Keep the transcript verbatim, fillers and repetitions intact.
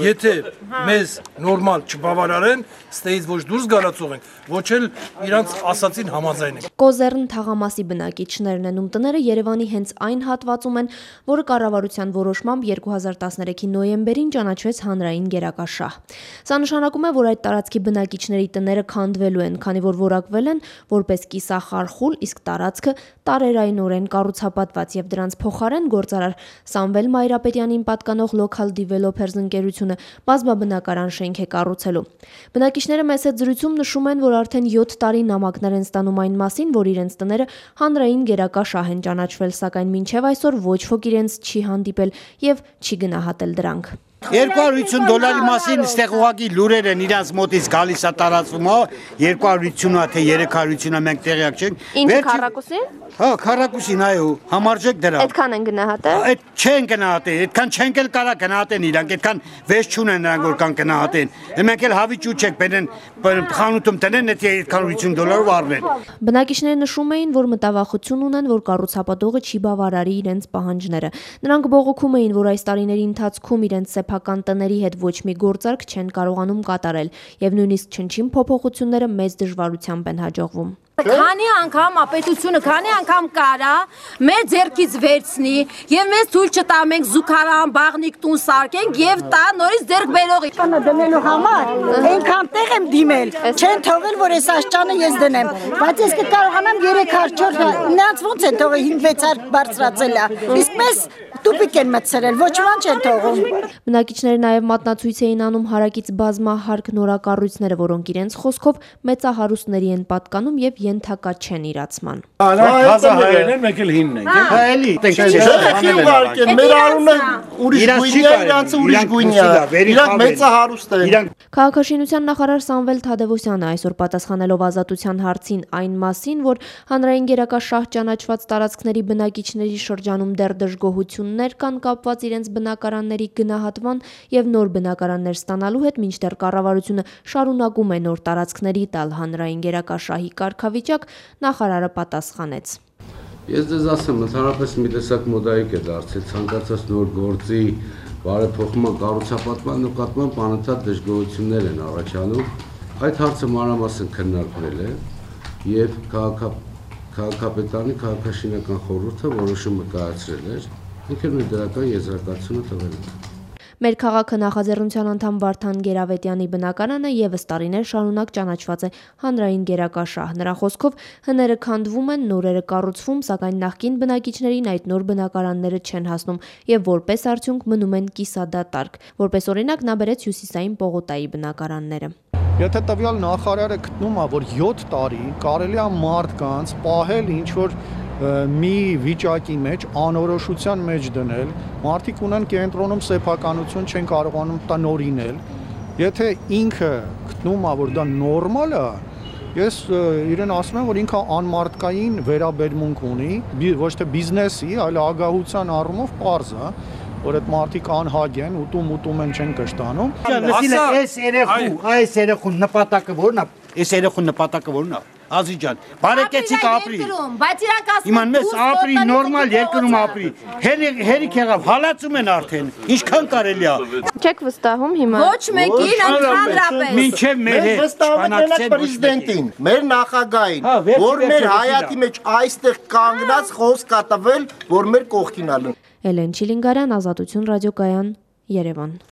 եթե մեզ նորմալ չբավարարեն, ստեից ոչ դուրս գալացող ենք, ոչ էլ իրանց ասացին համաձայն ենք։ Կոզեռն թաղամասի բնակիչներն են, ում տները Երևանի հենց այն հատվածում են, որը կառավարության որոշմամբ երկու հազար տասներեքի նոյեմբերին ճանաչվեց հանրային գերակաշահ։ Սա նշանակում է, որ այդ տարածքի բնակիչների տները քանդվելու են, քանի որ որակվել են որպես կիսախարխուլ, իսկ տարածքը տարերայնորեն կառուցապատված եւ դրանց փոխարեն գործարար Սամվել Մայրապետյանին պատկանող Local Developers ընկերությունը բազմաբնակարան շենք է կառուցելու։ Բնակիչները մեծ զրույցում նշում են, որ արդեն յոթ տարի նամակներ են ստանում այն մասին, որ իրենց տները հանրային գերակաշահ են ճանաչվել, սակայն մինչև այսօր ոչ ոք իրենց չի հանդիպել եւ չի գնահատել դրանք։ երկու հարյուր ութսուն դոլարի մասին ստեղ ուղղակի լուրեր են իրանց մոտից գալիս է տարածվում, երկու հարյուր ութսուն-ը թե երեք հարյուր ութսուն-ը մենք տեղյակ չենք։ Ինչ քառակուսին։ Հա, քառակուսին, այո, համարժեք դրա։ Այդքան են գնահատել։ Այդ չեն գնահատել, այդքան չենք էլ կարա գնահատեն իրանք, այդքան վեճ չունեն նրանք որ կան գնահատեն։ Մենք էլ հավիճ ու չենք բերեն խանութում տնեն, եթե երկու հարյուր ութսուն դոլարով առնեն։ Բնակիչները նշում էին, որ մտավախություն ունեն, որ կառուցապատողը չի բավարարի իրենց պահանջները։ Նրանք բողոքում էին, որ այս տարիների ընթացքում իրենց սեփական տների հետ ոչ մի գործարք չեն կարողանում կատարել եւ նույնիսկ չնչին փոփոխությունները մեծ դժվարությամբ են հաջողվում։ Քանի անգամ ապետությունը, քանի անգամ կարա մեր ձեռքից վերցնի եւ մեզ թույլ չտա մենք զուգարան, բաղնիկ տուն սարքենք եւ տա նորից ձեռք բերողի։ Բանը դնելու համար այնքան տեղ եմ դիմել, չեն թողել որ այս աշճանը ես դնեմ, բայց ես կկարողանամ երեք հարյուր չորս, նրանց ոնց են թողել հինգ վեց հարկ բարձրացել է։ Իսկ մեզ տուպիկ են մտցրել, ոչ ոք չեն թողում։ Բնակիչները նաև մատնացույց էին անում հարակից բազմահարկ նորակառույցները, որոնք իրենց խոսքով մեծահարուստների են պատկանում եւ ենթակա չեն իրացման։ Հազահայերն են, մենք էլ հինն ենք։ Հա, էլի, մեր անունը ուրիշ գույնի է, իրանցը ուրիշ գույնի է, իրանք մեծահարուստ են։ Քաղաքաշինության նախարար Սամվել Թադևոսյանը այսօր պատասխանելով Ազատության հարցին այն մասին, որ հանրային գերակաշահ ճանաչված տարածքների բնակիչների շրջանում դեռ դժգոհություններ կան կապված իրենց բնակարանների գնահատման եւ նոր բնակարաններ ստանալու հետ, մինչդեռ կառավարությունը շարունակում է նոր տարածքների տալ հանրային գերակաշահի կարգավիճակ, նախարարը պատասխանեց. Ես ձեզ ասեմ, ընդհանրապես մի տեսակ մոդայիկ է դարձել ցանկացած նոր գործի բարեփոխման կառուցապատման նկատմամբ անընդհատ դժգոհություններ են առաջանում։ Այդ հարցը մանրամասն քննարկվել է եւ քաղաքապետարանի քաղաքաշինական խորհուրդը որոշումը կայացրել էր, ինքն մեր դրական եզրակացությունը տվել է։ Մեր քաղաքը նախաձեռնության անդամ Վարդան Գերավետյանի բնակարանը եւս տարիներ շարունակ ճանաչված է հանրային գերակաշահ։ Նրա խոսքով հները քանդվում են, նորերը կառուցվում, սակայն նախկին բնակիչներին այդ նոր բնակարանները չեն հասնում եւ որպես արդյունք մնում են կիսադատարկ։ Որպես օրինակ նա բերեց Հյուսիսային Պողոտայի բնակարանները։ Եթե տվյալ նախարարը գտնում է, որ յոթ տարի կարելի է մարդկանց պահել ինչ որ մի վիճակի մեջ, անորոշության մեջ դնել, մարդիկ ունեն կենտրոնում սեփականություն չեն կարողանում տնօրինել, եթե ինքը գտնում է, որ դա նորմալ է, ես իրեն ասում եմ, որ ինքը անմարդկային վերաբերմունք ունի, ոչ թե բիզնեսի, այլ ագահության առումով պարզ է, որ այդ մարդիկ անհագ են, ուտում ուտում են չեն կշտանում։ Այս երեխու, այս երեխու նպատակը որն է, այս երեխու նպատակը որն է։ Ազի ջան, բարեկեցիկ ապրի։ Բայց իրանք ասում Իման մեզ ապրի, նորմալ երկրում ապրի։ Հերիք եղավ, հալածում են արդեն։ Ինչքան կարելի է։ Չեք վստահում հիմա։ Ոչ մեկին ընդհանրապես։ Մինչև մեր հետ վստահեցնեք պրեզիդենտին, մեր նախագահին, որ մեր հայատի մեջ այստեղ կանգնած խոսք կա տվել, որ մեր կողքին ալն։ Էլեն Չիլինգարյան, Ազատություն ռադիոկայան, Երևան։